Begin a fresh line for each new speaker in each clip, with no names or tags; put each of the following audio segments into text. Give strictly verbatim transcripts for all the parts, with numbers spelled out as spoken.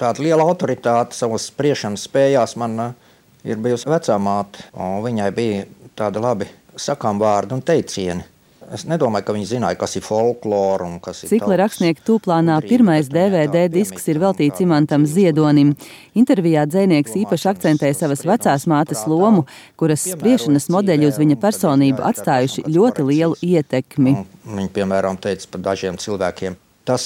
Tāda liela autoritāte savas spriešanas spējās man ir bijusi vecā māte, un viņai bija tāda labi sakām vārdi un teicieni. Es nedomāju, ka viņi zināja, kas ir folklora un kas ir
Cikla
tautas
rakstnieku tūplānā pirmais D V D disks ir veltīts Imantam Ziedonim. Intervijā dzejnieks īpaši akcentēja savas vecās mātes lomu, kuras spriešanas modeļi uz viņa personību atstājuši ļoti lielu ietekmi.
Viņa, piemēram, teica par dažiem cilvēkiem, tas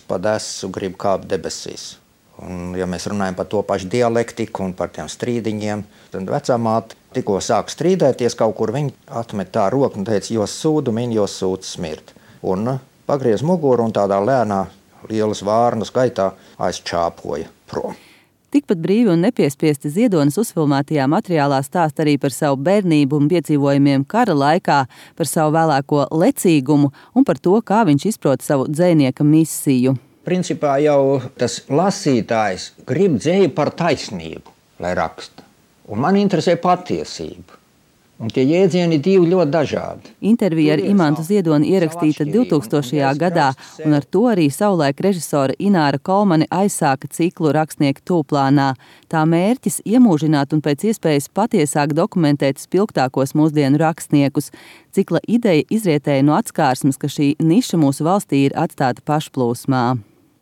pa desu grib kāpt debesīs. Un, ja mēs runājam par to pašu dialektiku un par tiem strīdiņiem, tad vecā māte tikko sāk strīdēties kaut kur, viņa atmet tā roku un teica, jo sūdu min, jo sūds smirt. Un pagriez muguru un tādā lēnā lielas vārnas gaitā aizčāpoja prom.
Tikpat brīvi un nepiespiesti Ziedonis uzfilmētajā materiālā stāst arī par savu bērnību un piedzīvojumiem kara laikā, par savu vēlāko lecīgumu un par to, kā viņš izprot savu dzejnieka misiju.
Principā jau tas lasītājs grib dzeju par taisnību, lai raksta. Un man interesē patiesība. Un tie jēdzieni divi ļoti dažādi.
Intervija ar Imantu Ziedoni ierakstīta divtūkstošajā gadā, un ar to arī savulaik režisora Ināra Kolmane aizsāka ciklu Rakstnieku tūplānā. Tā mērķis iemūžināt un pēc iespējas patiesāk dokumentēt spilgtākos mūsdienu rakstniekus. Cikla ideja izrietēja no atskārsmes, ka šī niša mūsu valstī ir atstāta pašplūsmā.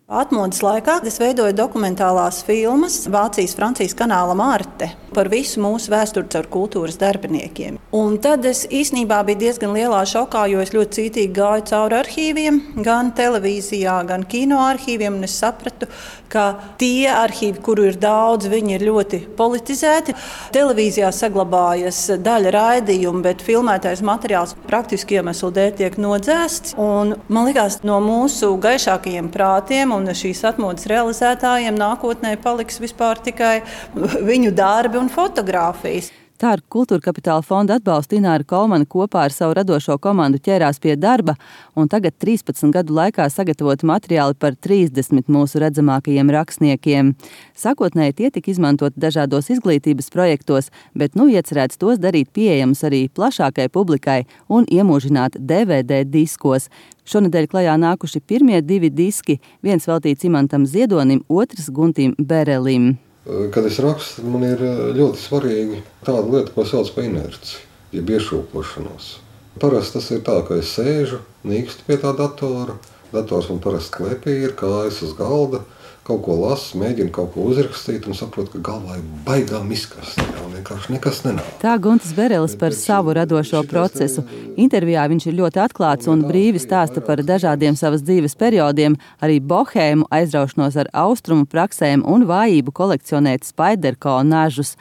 Atmodas laikā es veidoju dokumentālās filmas Vācijas-Francijas kanāla Marte par visu mūsu vēsturi caur kultūras darbiniekiem. Un tad es īsnībā biju diezgan lielā šokā, jo es ļoti cītīgi gāju cauri arhīviem, gan televīzijā, gan kino arhīviem, un es sapratu, ka tie arhīvi, kuru ir daudz, viņi ir ļoti politizēti. Televīzijā saglabājas daļa raidījumu, bet filmētais materiāls praktiski iemeslu dēļ tiek nodzēsts. Un man likās, no mūsu gaišākajiem prātiem un šīs atmodas realizētājiem nākotnē paliks vispār tikai viņu darbi un fotogrāfijas.
Tā ar Kultūra Kapitāla fonda atbalstu Ināra Kolmane kopā ar savu radošo komandu ķērās pie darba, un tagad trīspadsmit gadu laikā sagatavoti materiāli par trīsdesmit mūsu redzamākajiem rakstniekiem. Sākotnēji tie tika izmantoti dažādos izglītības projektos, bet nu iecerēts tos darīt pieejamus arī plašākai publikai un iemūžināt D V D diskos. Šonedēļ klajā nākuši pirmie divi diski, viens veltīts Imantam Ziedonim, otrs Guntim Berelim.
Kad es rakstu, man ir ļoti svarīgi tāda lieta, ko sauc par inerci, jeb iešūpošanos. Parasti tas ir tā, ka es sēžu, nīkstu pie tā datora, dators man parasti klepī ir, kājas uz galda, kaut ko lasu, mēģinu kaut ko uzrakstīt un saprotu, ka galvā ir baigām izkast, un vienkārši nekas nenāk.
Tā Guntis Berelis par savu radošo procesu. Intervijā viņš ir ļoti atklāts un brīvi stāsta par dažādiem savas dzīves periodiem, arī bohēmu, aizraušanos ar austrumu praksēm un vājību kolekcionēt Spaiderko nažus.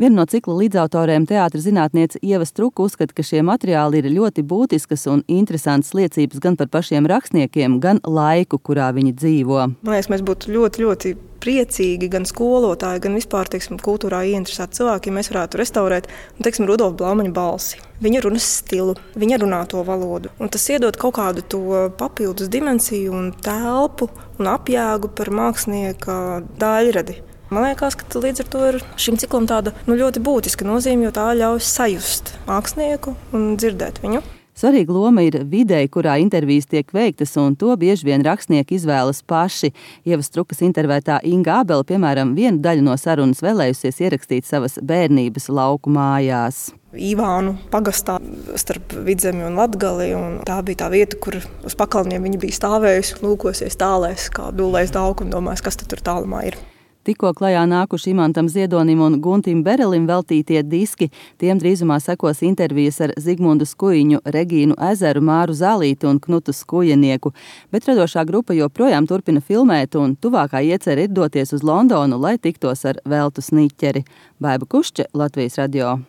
Viena no cikla līdzautoriem teātra zinātniece Ieva Struka uzskata, ka šie materiāli ir ļoti būtiskas un interesantas liecības gan par pašiem rakstniekiem, gan laiku, kurā viņi dzīvo.
Man liekas, mēs būtu ļoti, ļoti priecīgi gan skolotāji, gan vispār, teiksim, kultūrā ieinteresēti cilvēki, ja mēs varētu restaurēt, un, teiksim, Rudolfa Blaumaņa balsi. Viņa runas stilu, viņa runāto valodu. Un tas iedod kaut kādu to papildus dimensiju un telpu un apjēgu par mākslinieka daļradi. Man liekas, ka līdz ar to ir šim ciklam tāda nu, ļoti būtiska nozīme, jo tā ļauj sajust mākslinieku un dzirdēt viņu.
Svarīga loma ir videi, kurā intervijas tiek veiktas, un to bieži vien rakstnieki izvēlas paši. Ieva Strukas intervētā Inga Ābele, piemēram, vienu daļu no sarunas vēlējusies ierakstīt savas bērnības lauku mājās.
Ivānu pagastā starp Vidzemi un Latgali, un tā bija tā vieta, kur uz pakalniem viņa bija stāvējusi, lūkosies tālēs, kā dūlēs dauku un domājis, kas tad tur tālumā ir.
Tikko klajā nākuši Imantam Ziedonim un Guntim Berelim veltītie diski, tiem drīzumā sekos intervijas ar Zigmundu Skujiņu, Regīnu Ezeru, Māru Zālīti un Knutu Skujenieku, bet radošā grupa joprojām turpina filmēt un tuvākā iecerē ir doties uz Londonu, lai tiktos ar Veltu Sniķeri. Baiba Kušče, Latvijas radio.